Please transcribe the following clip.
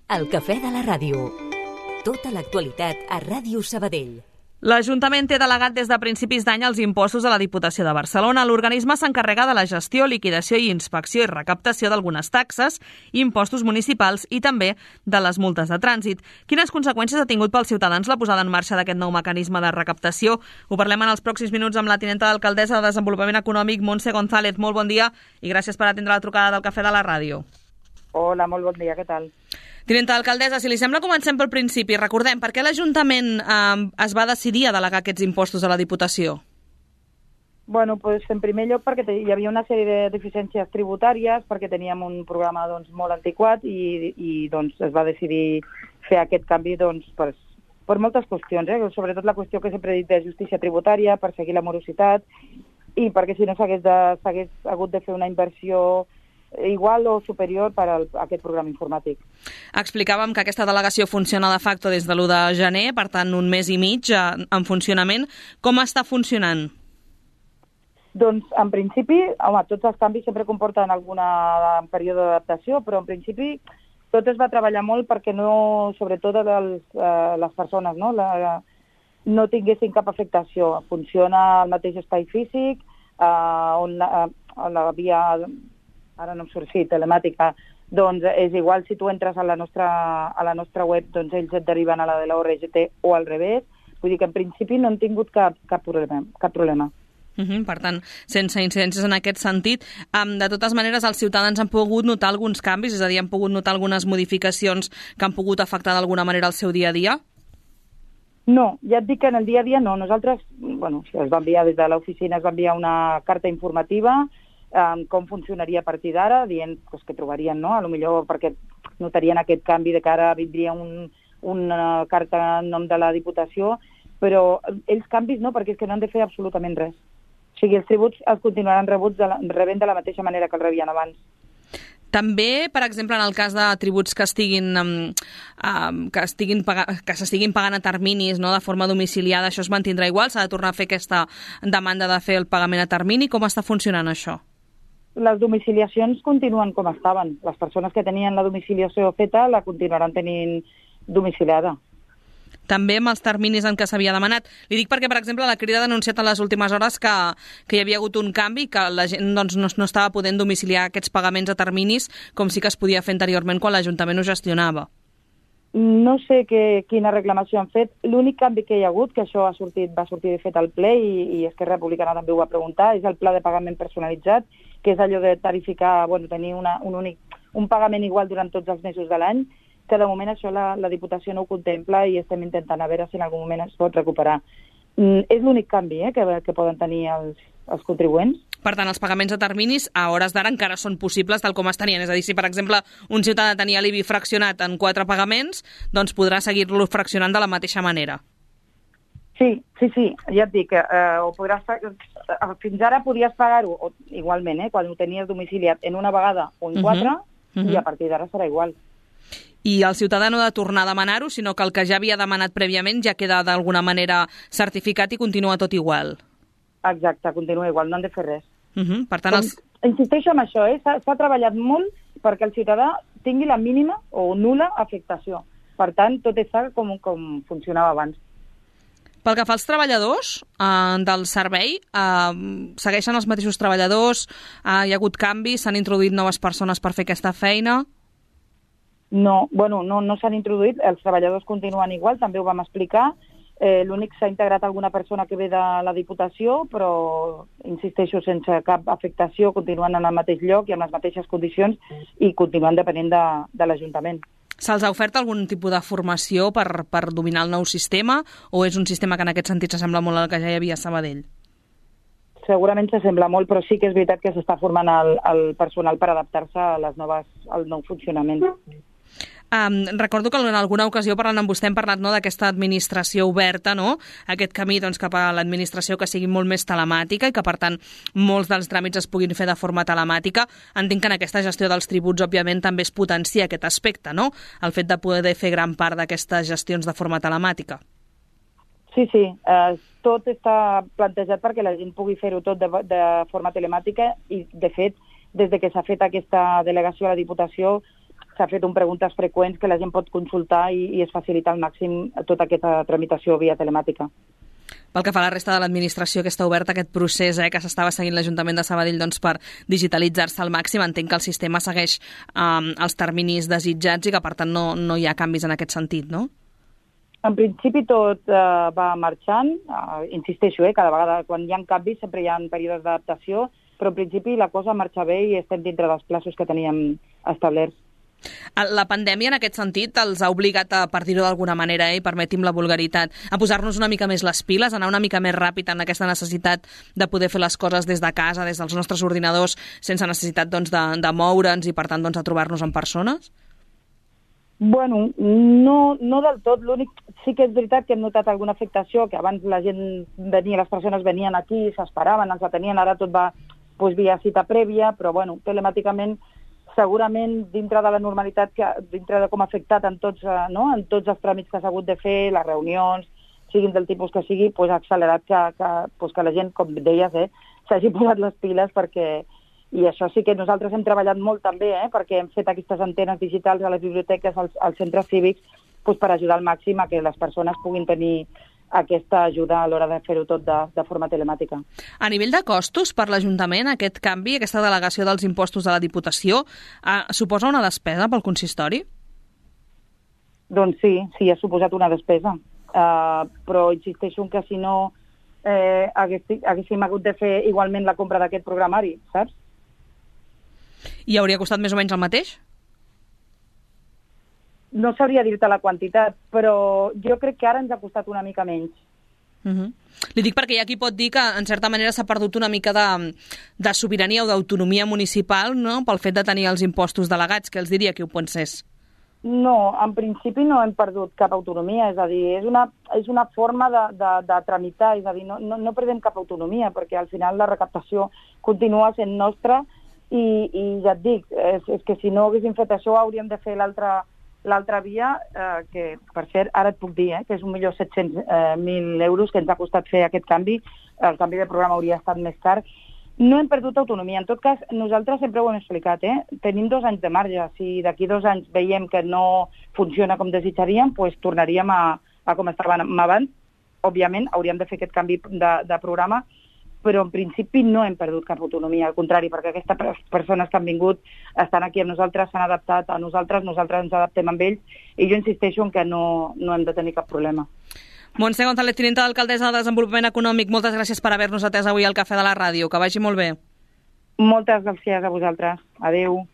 El cafè de la ràdio. Tota l'actualitat a Ràdio Sabadell. L'Ajuntament té delegat des de principis d'any els impostos a la Diputació de Barcelona. L'organisme s'encarrega de la gestió, liquidació i inspecció i recaptació d'algunes taxes, impostos municipals i també de les multes de trànsit. Quines conseqüències ha tingut pels ciutadans la posada en marxa d'aquest nou mecanisme de recaptació? Ho parlem en els pròxims minuts amb la tinenta d'alcaldessa de Desenvolupament Econòmic, Montse González. Molt bon dia i gràcies per atendre la trucada del cafè de la ràdio. Hola, molt bon dia, què tal? Tinenta d'alcaldessa, si li sembla, comencem pel principi. Recordem, per què l'Ajuntament es va decidir a delegar aquests impostos a la Diputació? Bueno, pues, en primer lloc perquè hi havia una sèrie de deficiències tributàries, perquè teníem un programa molt antiquat i es va decidir fer aquest canvi per moltes qüestions, sobretot la qüestió que sempre he dit de justícia tributària, per seguir la morositat i perquè si no s'hagués hagut de fer una inversió igual o superior per a aquest programa informàtic. Explicàvem que aquesta delegació funciona de facto des de l'1 de gener, per tant un mes i mig en funcionament. Com està funcionant? Doncs en principi, tots els canvis sempre comporten algun període d'adaptació, però en principi tot es va treballar molt perquè no, sobretot les persones, no tinguessin cap afectació. Funciona al mateix espai físic, on la via... ara no em surt, telemàtica, doncs és igual si tu entres a la nostra web, doncs ells et deriven a la de la ORGT o al revés. Vull dir que en principi no hem tingut cap problema. Per tant, sense incidències en aquest sentit. De totes maneres, els ciutadans han pogut notar alguns canvis, és a dir, han pogut notar algunes modificacions que han pogut afectar d'alguna manera el seu dia a dia? No, ja et dic que en el dia a dia no. Nosaltres, es va enviar des de l'oficina, es va enviar una carta informativa com funcionaria a partir d'ara, dient que trobarien, a lo millor perquè notarien aquest canvi de que ara vindria una carta en nom de la Diputació, però ells canvis no, perquè és que no han de fer absolutament res. O sigui, els tributs els continuaran rebent de la mateixa manera que els rebien abans. També, per exemple, en el cas de tributs que s'estiguin pagant a terminis, de forma domiciliada, això es mantindrà igual? S'ha de tornar a fer aquesta demanda de fer el pagament a termini? Com està funcionant això? Les domiciliacions continuen com estaven. Les persones que tenien la domiciliació feta la continuaran tenint domiciliada. També amb els terminis en què s'havia demanat. Li dic perquè, per exemple, la Crida ha denunciat en les últimes hores que hi havia hagut un canvi, que la gent no estava podent domiciliar aquests pagaments a terminis com sí que es podia fer anteriorment quan l'Ajuntament ho gestionava. No sé quina reclamació han fet. L'únic canvi que hi ha hagut, que això va sortir de fet al ple i Esquerra Republicana també ho va preguntar, és el pla de pagament personalitzat, que és allò de tarificar, tenir un pagament igual durant tots els mesos de l'any, que de moment això la Diputació no ho contempla i estem intentant a veure si en algun moment es pot recuperar. És l'únic canvi que poden tenir els contribuents. Per tant, els pagaments a terminis a hores d'ara encara són possibles tal com es tenien. És a dir, si per exemple un ciutadà tenia l'IBI fraccionat en 4 pagaments, doncs podrà seguir-lo fraccionant de la mateixa manera. Sí, ja et dic, fins ara podies pagar-ho igualment, quan ho tenies domiciliat en una vegada o en 4, i a partir d'ara serà igual. I el ciutadà no ha de tornar a demanar-ho, sinó que el que ja havia demanat prèviament ja queda d'alguna manera certificat i continua tot igual. Exacte, continua igual, no han de fer res. Per tant, insisteixo en això, s'ha treballat molt perquè el ciutadà tingui la mínima o nul·la afectació. Per tant, tot està com funcionava abans. Pel que fa als treballadors del servei, segueixen els mateixos treballadors? Hi ha hagut canvis? S'han introduït noves persones per fer aquesta feina? No s'han introduït, els treballadors continuen igual, també ho vam explicar. L'únic s'ha integrat alguna persona que ve de la Diputació, però, insisteixo, sense cap afectació, continuen en el mateix lloc i amb les mateixes condicions i continuen depenent de l'Ajuntament. Se'ls ha ofert algun tipus de formació per dominar el nou sistema o és un sistema que en aquest sentit s'assembla molt al que ja hi havia a Sabadell? Segurament s'assembla molt, però sí que és veritat que s'està formant el personal per adaptar-se al nou funcionament. Recordo que en alguna ocasió parlant amb vostè hem parlat d'aquesta administració oberta, aquest camí cap a l'administració que sigui molt més telemàtica i que per tant molts dels tràmits es puguin fer de forma telemàtica. Entenc que en aquesta gestió dels tributs òbviament també es potencia aquest aspecte, el fet de poder fer gran part d'aquestes gestions de forma telemàtica. Sí, tot està plantejat perquè la gent pugui fer-ho tot de forma telemàtica i de fet des de que s'ha fet aquesta delegació a la Diputació s'ha fet un preguntes freqüents que la gent pot consultar i es facilita al màxim tota aquesta tramitació via telemàtica. Pel que fa a la resta de l'administració, que està obert aquest procés que s'estava seguint l'Ajuntament de Sabadell per digitalitzar-se al màxim, entenc que el sistema segueix els terminis desitjats i que, per tant, no hi ha canvis en aquest sentit, no? En principi tot va marxant, insisteixo, cada vegada quan hi ha canvis sempre hi ha períodes d'adaptació, però en principi la cosa marxa bé i estem dintre dels plaços que teníem establerts. La pandèmia, en aquest sentit, els ha obligat, per dir-ho d'alguna manera, i permeti'm la vulgaritat, a posar-nos una mica més les piles, a anar una mica més ràpid en aquesta necessitat de poder fer les coses des de casa, des dels nostres ordinadors, sense necessitat de moure'ns i, per tant, de trobar-nos en persones? Bueno, no del tot. L'únic, sí que és veritat que hem notat alguna afectació, que abans la gent venia, les persones venien aquí, s'esperaven, ens atenien, ara tot va via cita prèvia, però bueno, telemàticament segurament dintre de la normalitat, dintre de com ha afectat en tots els tràmits que s'ha hagut de fer, les reunions, siguin del tipus que sigui, ha accelerat que la gent, com deies, s'hagi posat les piles perquè... I això sí que nosaltres hem treballat molt també, perquè hem fet aquestes antenes digitals a les biblioteques, als centres cívics, per ajudar al màxim a que les persones puguin tenir aquesta ajuda a l'hora de fer-ho tot de forma telemàtica. A nivell de costos per l'Ajuntament, aquest canvi, aquesta delegació dels impostos a la Diputació, suposa una despesa pel consistori? Doncs sí, ha suposat una despesa. Però insisteixo que si no haguéssim hagut de fer igualment la compra d'aquest programari, saps? I hauria costat més o menys el mateix? No sabria dir-te la quantitat, però jo crec que ara ens ha costat una mica menys. Li dic perquè hi ha qui pot dir que, en certa manera, s'ha perdut una mica de sobirania o d'autonomia municipal, no?, pel fet de tenir els impostos delegats. Què els diria qui ho pensés? No, en principi no hem perdut cap autonomia, és a dir, és una forma de tramitar, és a dir, no perdem cap autonomia, perquè al final la recaptació continua sent nostra i ja et dic, és que si no haguéssim fet això hauríem de fer l'altra via, que per cert ara et puc dir que és 1.700.000 euros que ens ha costat fer aquest canvi, el canvi de programa hauria estat més car. No hem perdut autonomia. En tot cas, nosaltres sempre ho hem explicat, tenim 2 anys de marge. Si d'aquí 2 anys veiem que no funciona com desitjaríem, doncs tornaríem a com estàvem abans. Òbviament, hauríem de fer aquest canvi de programa, però en principi no hem perdut cap autonomia, al contrari, perquè aquestes persones que han vingut estan aquí amb nosaltres, s'han adaptat a nosaltres ens adaptem amb ells, i jo insisteixo en que no hem de tenir cap problema. Montse González, tinenta d'alcaldessa de Desenvolupament Econòmic, moltes gràcies per haver-nos atès avui al Cafè de la Ràdio. Que vagi molt bé. Moltes gràcies a vosaltres. Adéu.